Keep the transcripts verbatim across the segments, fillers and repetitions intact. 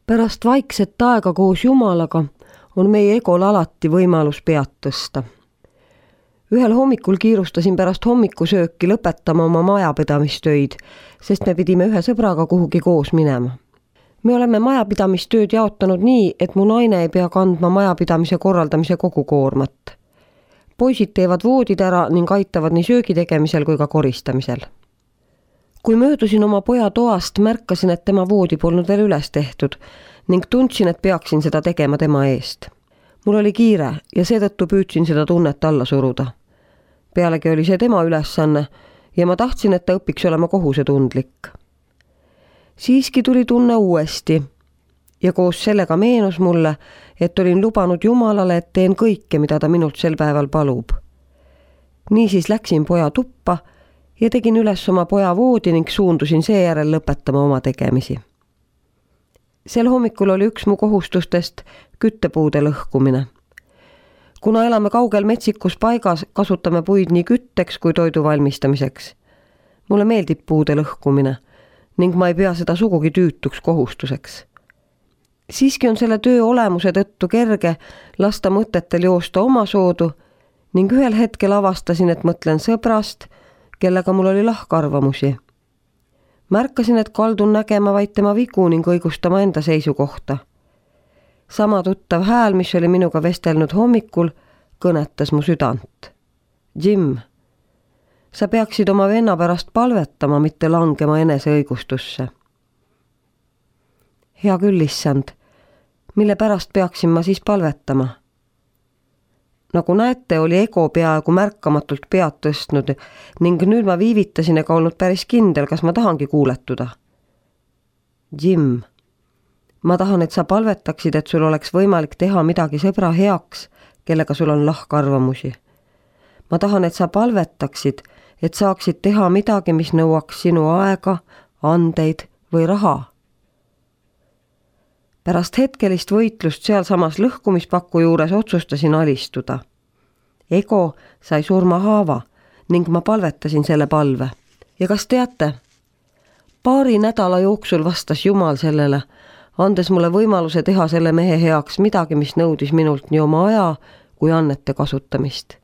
Pärast vaikset aega koos Jumalaga on meie egol alati võimalus pead tõsta. Ühel hommikul kiirustasin pärast hommikusööki lõpetama oma majapidamistöid, sest me pidime ühe sõbraga kuhugi koos minema. Me oleme majapidamistööd jaotanud nii, et mu naine ei pea kandma majapidamise korraldamise kogu koormat. Poisid teevad voodid ära ning aitavad nii söögi tegemisel kui ka koristamisel. Kui möödusin oma poja toast, märkasin, et tema voodi polnud veel üles tehtud ning tundsin, et peaksin seda tegema tema eest. Mul oli kiire ja seetõttu püüdsin seda tunnet alla suruda. Pealegi oli see tema ülesanne ja ma tahtsin, et ta õpiks olema kohusetundlik. Siiski tuli tunne uuesti ja koos sellega meenus mulle, et olin lubanud Jumalale, et teen kõike, mida ta minult sel päeval palub. Niisiis läksin poja tuppa ja tegin üles oma poja voodi ning suundusin seejärel lõpetama oma tegemisi. Sel hommikul oli üks mu kohustustest küttepuude lõhkumine. Kuna elame kaugel metsikus paigas, kasutame puid nii kütteks kui toidu valmistamiseks. Mulle meeldib puude lõhkumine ning ma ei pea seda sugugi tüütuks kohustuseks. Siiski on selle töö olemuse tõttu kerge lasta mõtetel joosta oma soodu ning ühel hetkel avastasin, et mõtlen sõbrast, kellega mul oli lahkarvamusi. Märkasin, et kaldun nägema vaid tema vigu ning õigustama enda seisukohta. Sama tuttav hääl, mis oli minuga vestelnud hommikul, kõnetas mu südant. Jim, sa peaksid oma venna pärast palvetama, mitte langema enese õigustusse. Hea küll, issand, mille pärast peaksin ma siis palvetama? Nagu näete, oli ego peaaegu märkamatult pead tõstnud ning nüüd ma viivitasin ega olnud päris kindel, kas ma tahangi kuuletuda. Jim, ma tahan, et sa palvetaksid, et sul oleks võimalik teha midagi sõbra heaks, kellega sul on lahkarvamusi. Ma tahan, et sa palvetaksid, et saaksid teha midagi, mis nõuaks sinu aega, andeid või raha. Pärast hetkelist võitlust sealsamas lõhkumispakku juures otsustasin alistuda. Ego sai surma haava ning ma palvetasin selle palve. Ja kas teate? Paari nädala jooksul vastas Jumal sellele, andes mulle võimaluse teha selle mehe heaks midagi, mis nõudis minult nii oma aja kui annete kasutamist.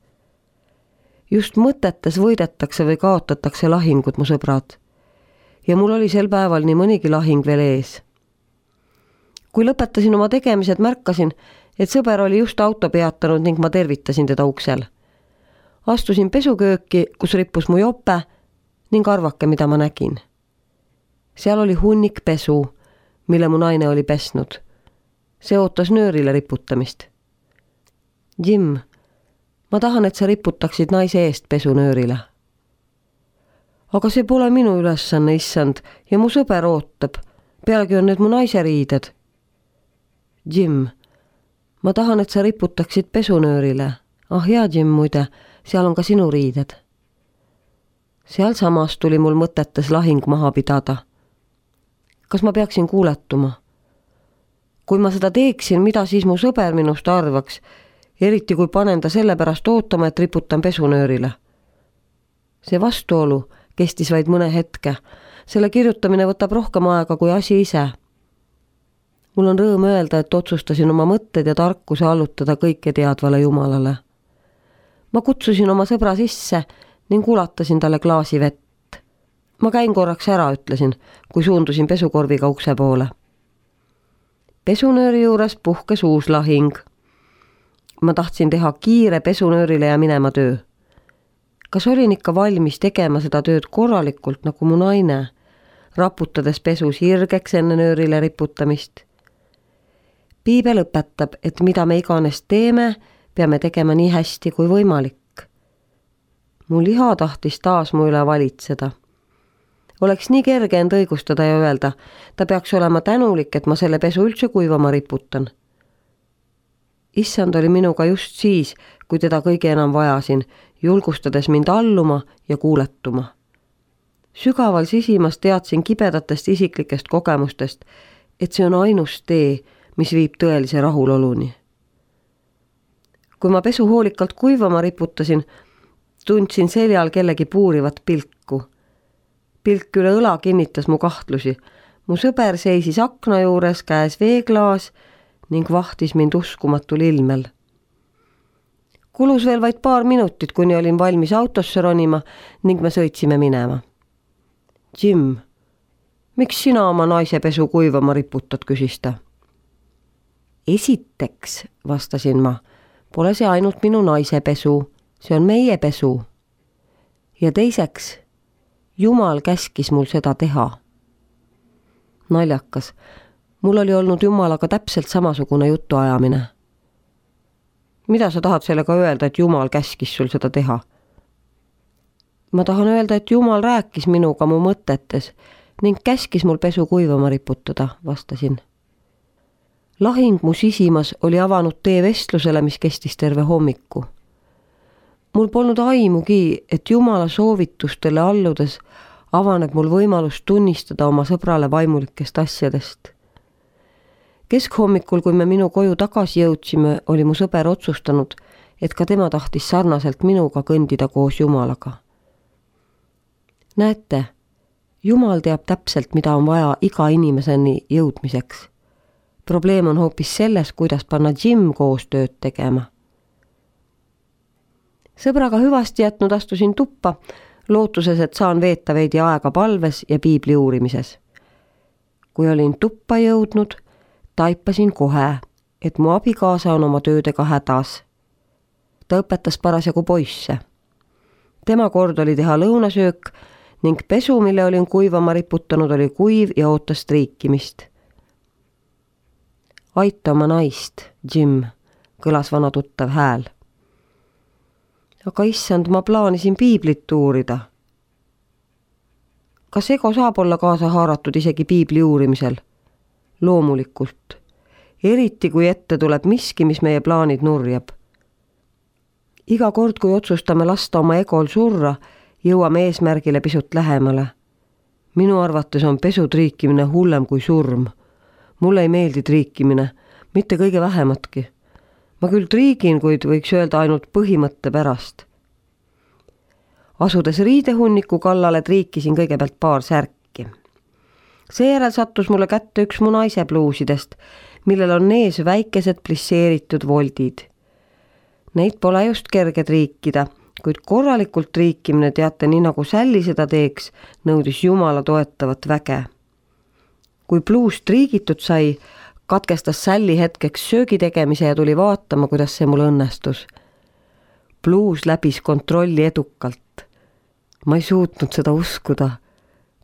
Just mõtetes võidetakse või kaotatakse lahingud, mu sõbrad. Ja mul oli sel päeval nii mõnigi lahing veel ees. Kui lõpetasin oma tegemised, märkasin, et sõber oli just auto peatanud ning ma tervitasin teda uksel. Astusin pesukööki, kus rippus mu jope ning arvake, mida ma nägin. Seal oli hunnik pesu, mille mu naine oli pesnud. See ootas nöörile riputamist. Jim, ma tahan, et sa riputaksid naise eest pesunöörile. Aga see pole minu ülesanne, issand, ja mu sõber ootab. Pealegi on need mu naise riided. Jim, ma tahan, et sa riputaksid pesunöörile. Ah jaa, Jim, muide, seal on ka sinu riided. Seal samas tuli mul mõtetes lahing maha pidada. Kas ma peaksin kuuletuma? Kui ma seda teeksin, mida siis mu sõber minust arvaks, eriti kui panen ta selle pärast ootama, et riputan pesunöörile? See vastuolu kestis vaid mõne hetke. Selle kirjutamine võtab rohkem aega kui asi ise. Mul on rõõm öelda, et otsustasin oma mõtted ja tarkuse allutada kõike teadvale Jumalale. Ma kutsusin oma sõbra sisse ning ulatasin talle klaasi vett. Ma käin korraks ära, ütlesin, kui suundusin pesukorviga ukse poole. Pesunööri juures puhkes uus lahing. Ma tahtsin teha kiire pesunöörile ja minema töö. Kas olin ikka valmis tegema seda tööd korralikult nagu mu naine, raputades pesu sirgeks enne nöörile riputamist? Piibel õpetab, et mida me iganes teeme, peame tegema nii hästi kui võimalik. Mu liha tahtis taas mu üle valitseda. Oleks nii kerge end õigustada ja öelda, ta peaks olema tänulik, et ma selle pesu üldse kuivama riputan. Issand oli minuga just siis, kui teda kõige enam vajasin, julgustades mind alluma ja kuuletuma. Sügaval sisimas teadsin kibedatest isiklikest kogemustest, et see on ainus tee, mis viib tõelise rahuloluni. Kui ma pesu hoolikalt kuivama riputasin, tundsin seljal kellegi puurivat pilku. Pilk üle õla kinnitas mu kahtlusi. mu sõber seisis akna juures, käes veeklaas ning vahtis mind uskumatul ilmel. Kulus veel vaid paar minutit, kuni olin valmis autosse ronima ning me sõitsime minema. Jim, miks sina oma naise pesu kuivama riputad, küsis ta. Esiteks, vastasin ma, pole see ainult minu naise pesu, see on meie pesu. Ja teiseks, Jumal käskis mul seda teha. Naljakas, mul oli olnud Jumalaga täpselt samasugune jutuajamine. Mida sa tahad sellega öelda, et Jumal käskis sul seda teha? Ma tahan öelda, et Jumal rääkis minuga mu mõtetes ning käskis mul pesu kuivama riputada, vastasin. Lahing mu sisimas oli avanud tee vestlusele, mis kestis terve hommiku. Mul polnud aimugi, et Jumala soovitustele alludes avaneb mul võimalus tunnistada oma sõbrale vaimulikest asjadest. Keskhommikul, kui me minu koju tagasi jõudsime, oli mu sõber otsustanud, et ka tema tahtis sarnaselt minuga kõndida koos Jumalaga. Näete, Jumal teab täpselt, mida on vaja iga inimeseni jõudmiseks. Probleem on hoopis selles, kuidas panna Jim koos tööd tegema. Sõbraga hüvasti jätnud astusin tuppa, lootuses, et saan veeta veidi aega palves ja piibli uurimises. Kui olin tuppa jõudnud, taipasin kohe, et mu abikaasa on oma töödega hädas. Ta õpetas parasjagu poisse. Tema kord oli teha lõunasöök ning pesu, mille olin kuivama riputanud, oli kuiv ja ootas triikimist. Aita oma naist, Jim, kõlas vana tuttav hääl. Aga issand, ma plaanisin piiblit uurida. Kas ego saab olla kaasa haaratud isegi piibli uurimisel? Loomulikult. Eriti kui ette tuleb miski, mis meie plaanid nurjab. Iga kord, kui otsustame lasta oma egol surra, jõuame eesmärgile pisut lähemale. Minu arvates on pesu triikimine hullem kui surm. Mulle ei meeldi triikimine, mitte kõige vähematki. Ma küll triigin, kuid võiks öelda ainult põhimõtte pärast. Asudes riidehunniku kallale triikisin kõigepealt paar särki. Seejärel sattus mulle kätte üks mu naise pluusidest, millel on ees väikesed plisseeritud voldid. Neid pole just kerge triikida, kuid korralikult triikimine, teate, nii nagu Sälli seda teeks, nõudis Jumala toetavat väge. Kui pluus triigitud sai, katkestas Sälli hetkeks söögi tegemise ja tuli vaatama, kuidas see mul õnnestus. Pluus läbis kontrolli edukalt. Ma ei suutnud seda uskuda.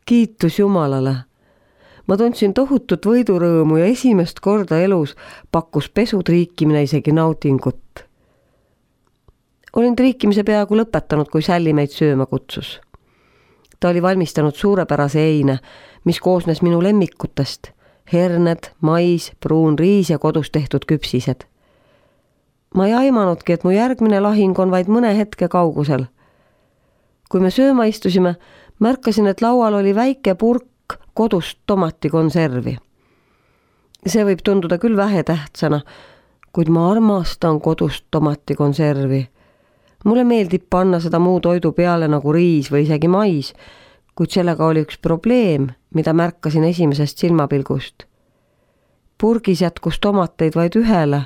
Kiitus Jumalale. Ma tundsin tohutut võidurõõmu ja esimest korda elus pakkus pesu triikimine isegi nautingut. Olin triikimise peaaegu lõpetanud, kui Sälli meid sööma kutsus. Ta oli valmistanud suurepärase eine, mis koosnes minu lemmikutest, herned, mais, pruun riis ja kodus tehtud küpsised. Ma ei aimanudki, et mu järgmine lahing on vaid mõne hetke kaugusel. Kui me sööma istusime, märkasin, et laual oli väike purk kodust tomatikonservi. See võib tunduda küll vähetähtsana, kuid ma armastan kodust tomatikonservi. Mulle meeldib panna seda muu toidu peale nagu riis või isegi mais, kuid sellega oli üks probleem, mida märkasin esimesest silmapilgust. Purgis jätkus tomateid vaid ühele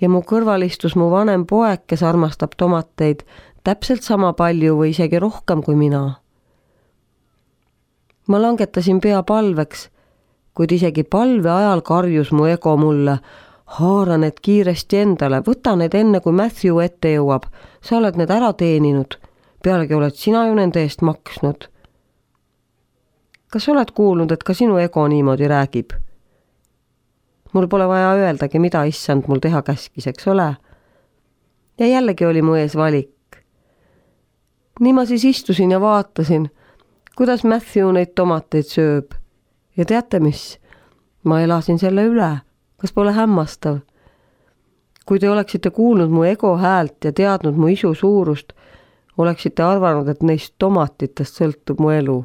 ja mu kõrval istus mu vanem poeg, kes armastab tomateid täpselt sama palju või isegi rohkem kui mina. Ma langetasin pea palveks, kuid isegi palve ajal karjus mu ego mulle, haara need kiiresti endale, võta need enne, kui Matthew ette jõuab, sa oled need ära teeninud, pealegi oled sina ju nende eest maksnud. Kas oled kuulnud, et ka sinu ego niimoodi räägib? Mul pole vaja öeldagi, mida issand mul teha käskis, eks ole? Ja jällegi oli mu ees valik. Nii ma siis istusin ja vaatasin, kuidas Matthew neid tomateid sööb. Ja teate mis? Ma elasin selle üle. Kas pole hämmastav? Kui te oleksite kuulnud mu ego häält ja teadnud mu isu suurust, oleksite arvanud, et neist tomatitest sõltub mu elu.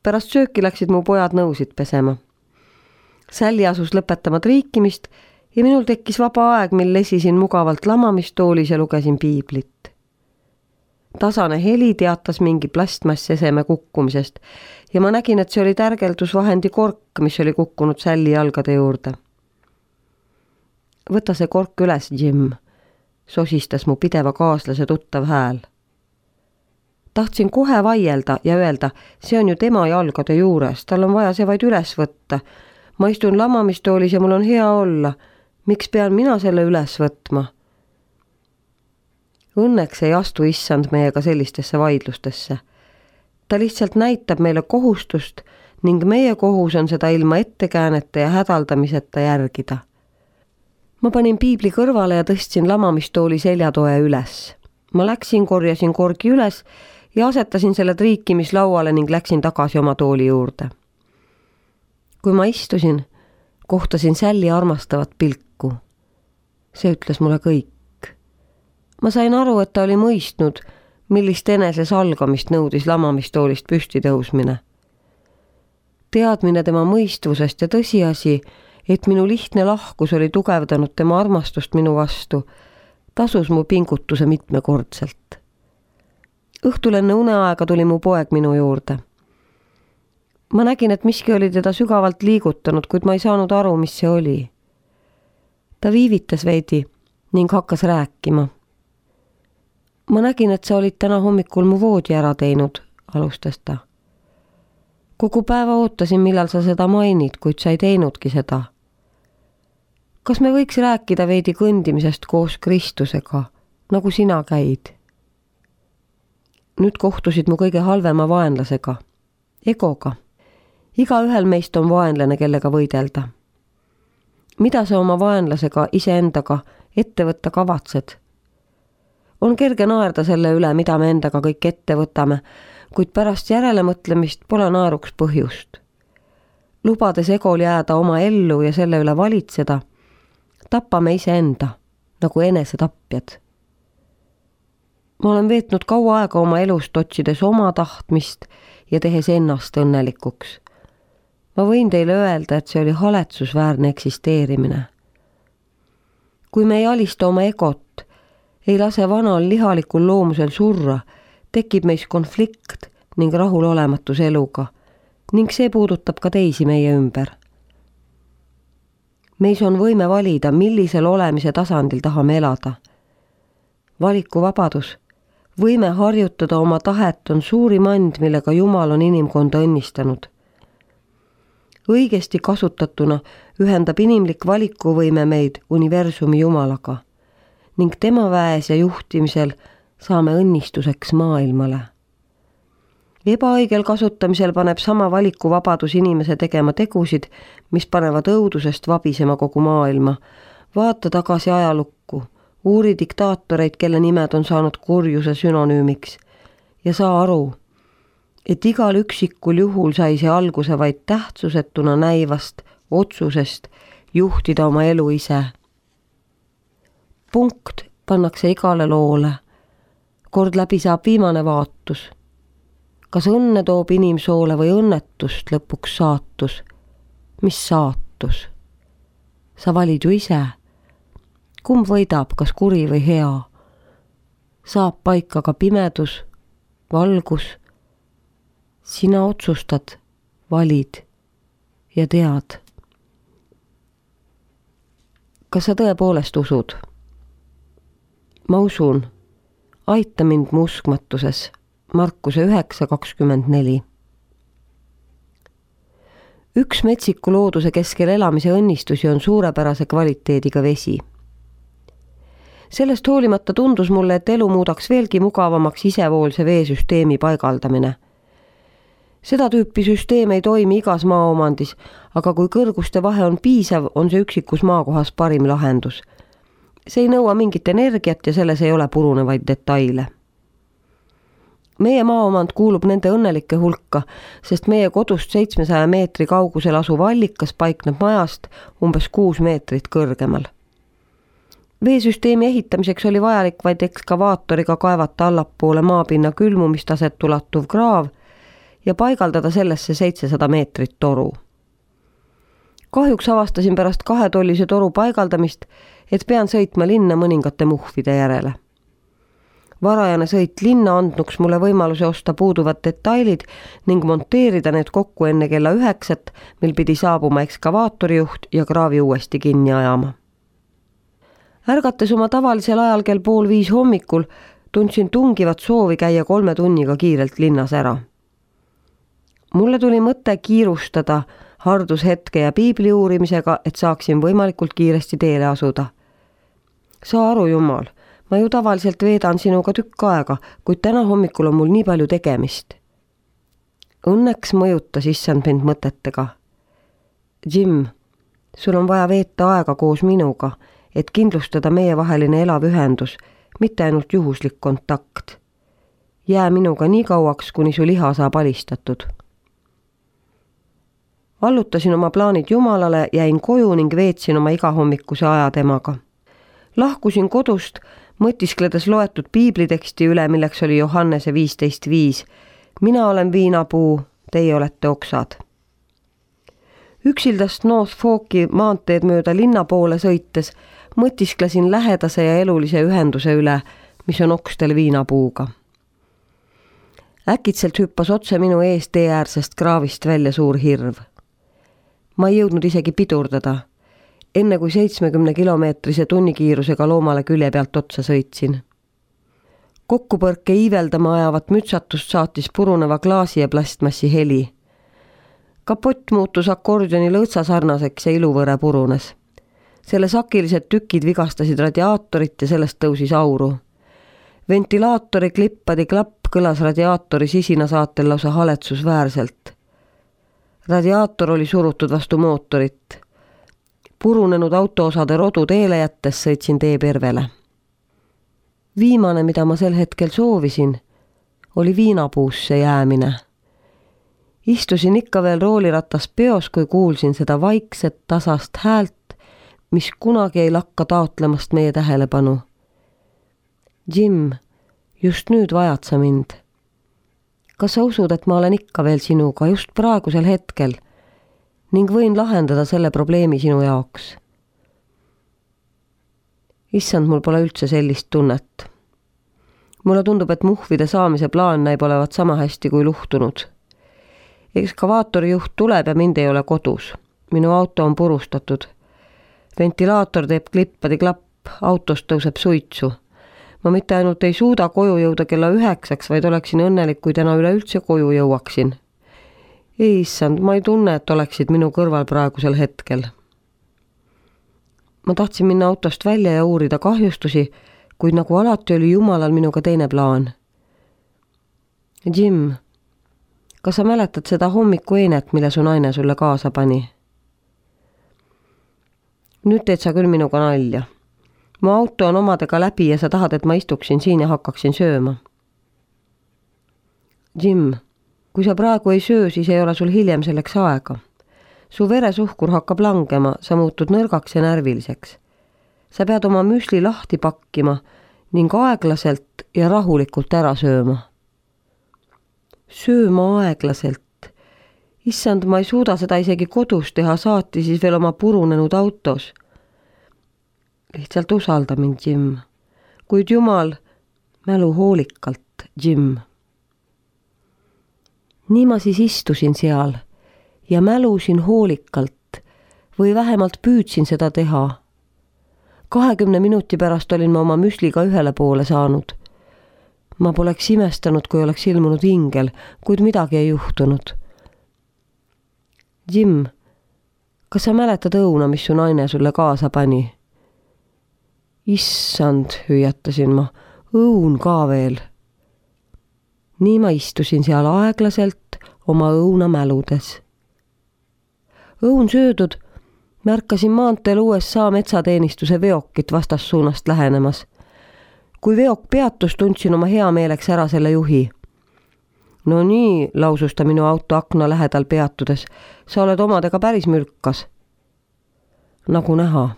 Pärast sööki läksid mu pojad nõusid pesema. Sälli asus lõpetama triikimist ja minul tekkis vaba aeg, mil lesisin mugavalt lamamistoolis ja lugesin piiblit. tasane heli teatas mingi plastmasseseme kukkumisest ja ma nägin, et see oli tärgeldusvahendi kork, mis oli kukkunud Sälli jalgade juurde. Võta see kork üles, Jim, sosistas mu pideva kaaslase tuttav hääl. Tahtsin kohe vaielda ja öelda, see on ju tema jalgade juures, tal on vaja see vaid üles võtta. Ma istun lamamistoolis ja mul on hea olla. Miks pean mina selle üles võtma? Õnneks ei astu issand meiega sellistesse vaidlustesse. Ta lihtsalt näitab meile kohustust ning meie kohus on seda ilma ettekäänete ja hädaldamiseta järgida. Ma panin piibli kõrvale ja tõstsin lamamistooli seljatoe üles. Ma läksin, korjasin korgi üles ja asetasin selle triikimislauale ning läksin tagasi oma tooli juurde. Kui ma istusin, kohtasin Sälli armastavat pilku. See ütles mulle kõik. Ma sain aru, et ta oli mõistnud, millist enese salgamist nõudis lamamistoolist püsti tõusmine. Teadmine tema mõistvusest ja tõsiasi, et minu lihtne lahkus oli tugevdanud tema armastust minu vastu, tasus mu pingutuse mitmekordselt. Õhtul enne uneaega tuli mu poeg minu juurde. Ma nägin, et miski oli teda sügavalt liigutanud, kuid ma ei saanud aru, mis see oli. Ta viivitas veidi ning hakkas rääkima. Ma nägin, et sa olid täna hommikul mu voodi ära teinud, alustas ta. Kogu päeva ootasin, millal sa seda mainid, kuid sa ei teinudki seda. Kas me võiks rääkida veidi kõndimisest koos Kristusega, nagu sina käid? Nüüd kohtusid mu kõige halvema vaenlasega, egoga. Iga ühel meist on vaenlane, kellega võidelda. Mida sa oma vaenlasega iseendaga ette võtta kavatsed? On kerge naerda selle üle, mida me endaga kõik ette võtame, kuid pärast järelemõtlemist pole naeruks põhjust. Lubades egol jääda oma ellu ja selle üle valitseda, tapame iseenda, nagu enesetapjad. Ma olen veetnud kaua aega oma elust otsides oma tahtmist ja tehes ennast õnnelikuks. Ma võin teile öelda, et see oli haletsusväärne eksisteerimine. Kui me ei alista oma egot, ei lase vanal lihalikul loomusel surra, tekib meis konflikt ning rahulolematus eluga ning see puudutab ka teisi meie ümber. Meis on võime valida, millisel olemise tasandil tahame elada. Valikuvabadus, võime harjutada oma tahet on suurim and, millega Jumal on inimkonda õnnistanud. Õigesti kasutatuna ühendab inimlik valikuvõime meid universumi Jumalaga ning tema väes ja juhtimisel saame õnnistuseks maailmale. Ebaõigel kasutamisel paneb sama valikuvabadus inimese tegema tegusid, mis panevad õudusest vabisema kogu maailma. Vaata tagasi ajalukku, uuri diktaatoreid, kelle nimed on saanud kurjuse sünonüümiks ja saa aru, et igal üksikul juhul sai see alguse vaid tähtsusetuna näivast otsusest juhtida oma elu ise. Punkt pannakse igale loole. Kord läbi saab viimane vaatus. Kas õnne toob inimsoole või õnnetust lõpuks saatus? Mis saatus? Sa valid ju ise. Kumb võidab, kas kuri või hea? Saab paika ka pimedus, valgus. Sina otsustad, valid ja tead. Kas sa tõepoolest usud? Ma usun. Aita mind mu uskmatuses. Markuse üheksa kakskümmend neli. Üks metsiku looduse keskel elamise õnnistusi on suurepärase kvaliteediga vesi. Sellest hoolimata tundus mulle, et elu muudaks veelgi mugavamaks isevoolse veesüsteemi paigaldamine. Seda tüüpi süsteem ei toimi igas maaomandis, aga kui kõrguste vahe on piisav, on see üksikus maakohas parim lahendus. See ei nõua mingit energiat ja selles ei ole purunevaid detaile. Meie maaomand kuulub nende õnnelike hulka, sest meie kodust seitsmesaja meetri kaugusel asuv allikas paikneb majast umbes kuus meetrit kõrgemal. Veesüsteemi ehitamiseks oli vajalik vaid ekskavaatoriga kaevata allapoole maapinna külmumistaset ulatuv kraav ja paigaldada sellesse seitsesada meetrit toru. Kahjuks avastasin pärast kahetollise toru paigaldamist, et pean sõitma linna mõningate muhvide järele. varajane sõit linna andnuks mulle võimaluse osta puuduvad detailid ning monteerida need kokku enne kella üheksat, mil pidi saabuma ekskavaatorijuht ja kraavi uuesti kinni ajama. Ärgates oma tavalisel ajal kell pool viis hommikul, tundsin tungivat soovi käia kolme tunniga kiirelt linnas ära. Mulle tuli mõte kiirustada hardushetke ja piibli uurimisega, et saaksin võimalikult kiiresti teele asuda. Saa aru, Jumal, ma ju tavaliselt veedan sinuga tükk aega, kuid täna hommikul on mul nii palju tegemist. Õnneks mõjutas issand mind mõtetega. Jim, sul on vaja veeta aega koos minuga, et kindlustada meie vaheline elav ühendus, mitte ainult juhuslik kontakt. Jää minuga nii kauaks, kuni su liha saab alistatud. Allutasin oma plaanid Jumalale, jäin koju ning veetsin oma igahommikuse aja temaga. Lahkusin kodust, mõtiskledes loetud piibliteksti üle, milleks oli Johannese viisteist viis. Mina olen viinapuu, teie olete oksad. Üksildast North Forki maanteed mööda linna poole sõites mõtisklesin lähedase ja elulise ühenduse üle, mis on okstel viinapuuga. Äkitselt hüppas otse minu ees teeäärsest kraavist välja suur hirv. Ma ei jõudnud isegi pidurdada, enne kui seitsmekümne kilomeetrise tunnikiirusega loomale külje pealt otsa sõitsin. Kokkupõrke iiveldama ajavat mütsatust saatis puruneva klaasi ja plastmassi heli. Kapott muutus akordioni lõõtsa sarnaseks ja iluvõre purunes. Selle sakilised tükid vigastasid radiaatorit ja sellest tõusis auru. Ventilaatori klippadi klapp kõlas radiaatori sisina saatel lausa haletsusväärselt. Radiaator oli surutud vastu mootorit. Purunenud autoosade rodu teele jättes sõitsin tee pervele. Viimane, mida ma sel hetkel soovisin, oli viinapuusse jäämine. Istusin ikka veel rooliratas peos, kui kuulsin seda vaikset tasast häält, mis kunagi ei lakka taotlemast meie tähelepanu. Jim, just nüüd vajad sa mind. Kas sa usud, et ma olen ikka veel sinuga just praegusel hetkel ning võin lahendada selle probleemi sinu jaoks? Issand, mul pole üldse sellist tunnet. Mulle tundub, et muhvide saamise plaan näib olevat sama hästi kui luhtunud. Ekskavaatori juht tuleb ja mind ei ole kodus. Minu auto on purustatud. Ventilaator teeb klippadi klapp, autost tõuseb suitsu. Ma mitte ainult ei suuda koju jõuda kella üheksaks, vaid oleksin õnnelik, kui täna üleüldse koju jõuaksin. Ei, issand, ma ei tunne, et oleksid minu kõrval praegusel hetkel. Ma tahtsin minna autost välja ja uurida kahjustusi, kuid nagu alati oli Jumalal minuga teine plaan. Jim, kas sa mäletad seda hommiku einet, mille su naine sulle kaasa pani? Nüüd teed sa küll minuga nalja. Mu auto on omadega läbi ja sa tahad, et ma istuksin siin ja hakkaksin sööma. Jim, kui sa praegu ei söö, siis ei ole sul hiljem selleks aega. Su veresuhkur hakkab langema, sa muutud nõrgaks ja närviliseks. Sa pead oma müsli lahti pakkima ning aeglaselt ja rahulikult ära sööma. Sööma aeglaselt. Issand, ma ei suuda seda isegi kodus teha, saati siis veel oma purunenud autos. Lihtsalt usalda mind, Jim. Kuid Jumal, mälu hoolikalt, Jim. Nii ma siis istusin seal ja mälusin hoolikalt või vähemalt püüdsin seda teha. Kahekümne minuti pärast olin ma oma müsliga ühele poole saanud. Ma poleks imestanud, kui oleks ilmunud ingel, kuid midagi ei juhtunud. Jim, kas sa mäletad õuna, mis su naine sulle kaasa pani? Issand, hüüatasin ma, õun ka veel. Nii ma istusin seal aeglaselt oma õuna mäludes. Õun söödud, märkasin maanteel U S A metsateenistuse veokit vastassuunast lähenemas. Kui veok peatus, tundsin oma hea meeleks ära selle juhi. No nii, lausus ta minu auto akna lähedal peatudes, sa oled omadega päris mürkas. Nagu näha.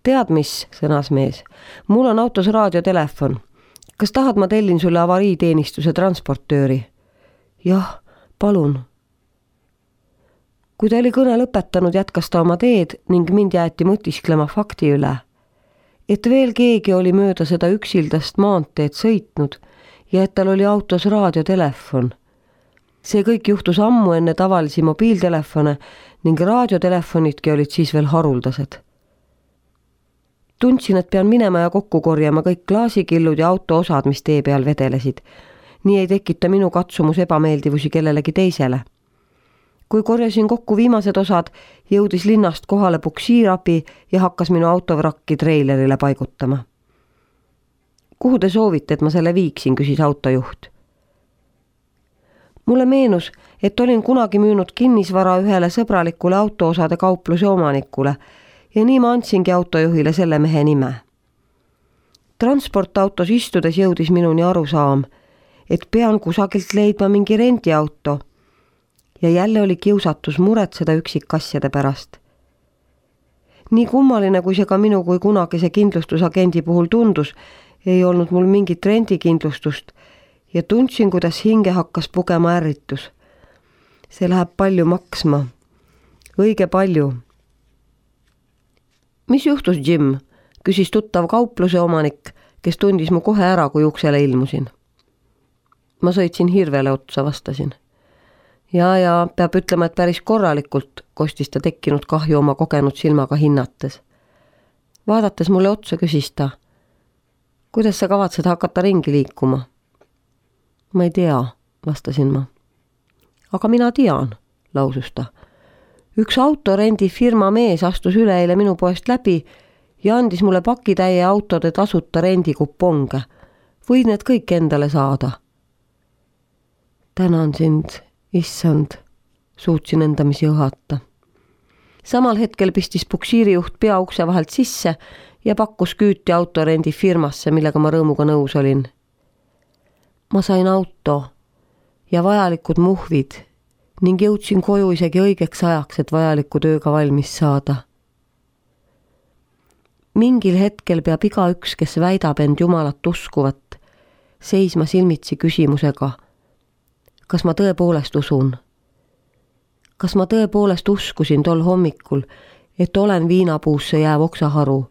Tead mis, sõnas mees, mul on autos raadiotelefon. Kas tahad, ma tellin sulle avariiteenistuse transportööri? Jah, palun. Kui ta oli kõne lõpetanud, jätkas ta oma teed ning mind jäeti mõtisklema fakti üle. et veel keegi oli mööda seda üksildast maanteed sõitnud ja et tal oli autos raadiotelefon. See kõik juhtus ammu enne tavalisi mobiiltelefone ning raadiotelefonidki olid siis veel haruldased. Tundsin, et pean minema ja kokku korjama kõik klaasikillud ja auto osad, mis tee peal vedelesid. Nii ei tekita minu katsumus ebameeldivusi kellelegi teisele. Kui korjasin kokku viimased osad, jõudis linnast kohale puksiirabi ja hakkas minu autovrakki treilerile paigutama. Kuhu te soovite, et ma selle viiksin, küsis autojuht. Mulle meenus, et olin kunagi müünud kinnisvara ühele sõbralikule autoosade kaupluse omanikule ja nii ma andsingi autojuhile selle mehe nime. Transportautos istudes jõudis minuni arusaam, et pean kusagilt leidma mingi rendiauto ja jälle oli kiusatus muretseda üksikasjade pärast. Nii kummaline, kui see ka minu kui kunagise kindlustusagendi puhul tundus, ei olnud mul mingit rendikindlustust ja tundsin, kuidas hinge hakkas pugema ärritus. See läheb palju maksma. Õige palju. Mis juhtus, Jim? Küsis tuttav kaupluse omanik, kes tundis mu kohe ära, kui uksele ilmusin. Ma sõitsin hirvele otsa, vastasin. Ja, ja peab ütlema, et päris korralikult, kostis ta tekkinud kahju oma kogenud silmaga hinnates. Vaadates mulle otsa, küsis ta. Kuidas sa kavatsed hakata ringi liikuma? Ma ei tea, vastasin ma. Aga mina tean, lausus ta. Üks autorendi firma mees astus üleeile minu poest läbi ja andis mulle pakitäie autode tasuta rendikuponge. Võid need kõik endale saada. Tänan sind, issand, suutsin endamisi õhata. Samal hetkel pistis puksiirijuht pea ukse vahelt sisse ja pakkus küüti autorendi firmasse, millega ma rõõmuga nõus olin. Ma sain auto ja vajalikud muhvid ning jõudsin koju isegi õigeks ajaks, et vajaliku tööga valmis saada. Mingil hetkel peab igaüks, kes väidab end Jumalat uskuvat, seisma silmitsi küsimusega, kas ma tõepoolest usun? Kas ma tõepoolest uskusin tol hommikul, et olen viinapuusse jääv oksaharu?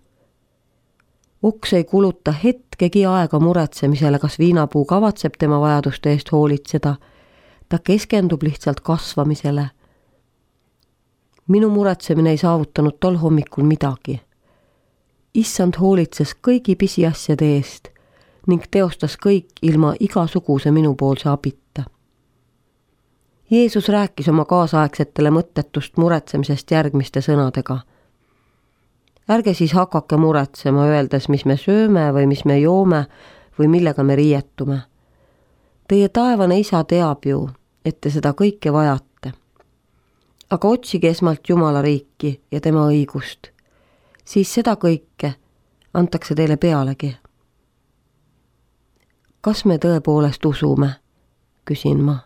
Oks ei kuluta hetkegi aega muretsemisele, kas viinapuu kavatseb tema vajaduste eest hoolitseda. Ta keskendub lihtsalt kasvamisele. Minu muretsemine ei saavutanud tol hommikul midagi. Issand hoolitses kõigi pisiasjade eest ning teostas kõik ilma igasuguse minupoolse abita. Jeesus rääkis oma kaasaegsetele mõttetust muretsemisest järgmiste sõnadega. Ärge siis hakake muretsema, öeldes, mis me sööme või mis me joome või millega me riietume. Teie taevane isa teab ju, et te seda kõike vajate. Aga otsige esmalt Jumala riiki ja tema õigust. Siis seda kõike antakse teile pealegi. Kas me tõepoolest usume? Küsin ma.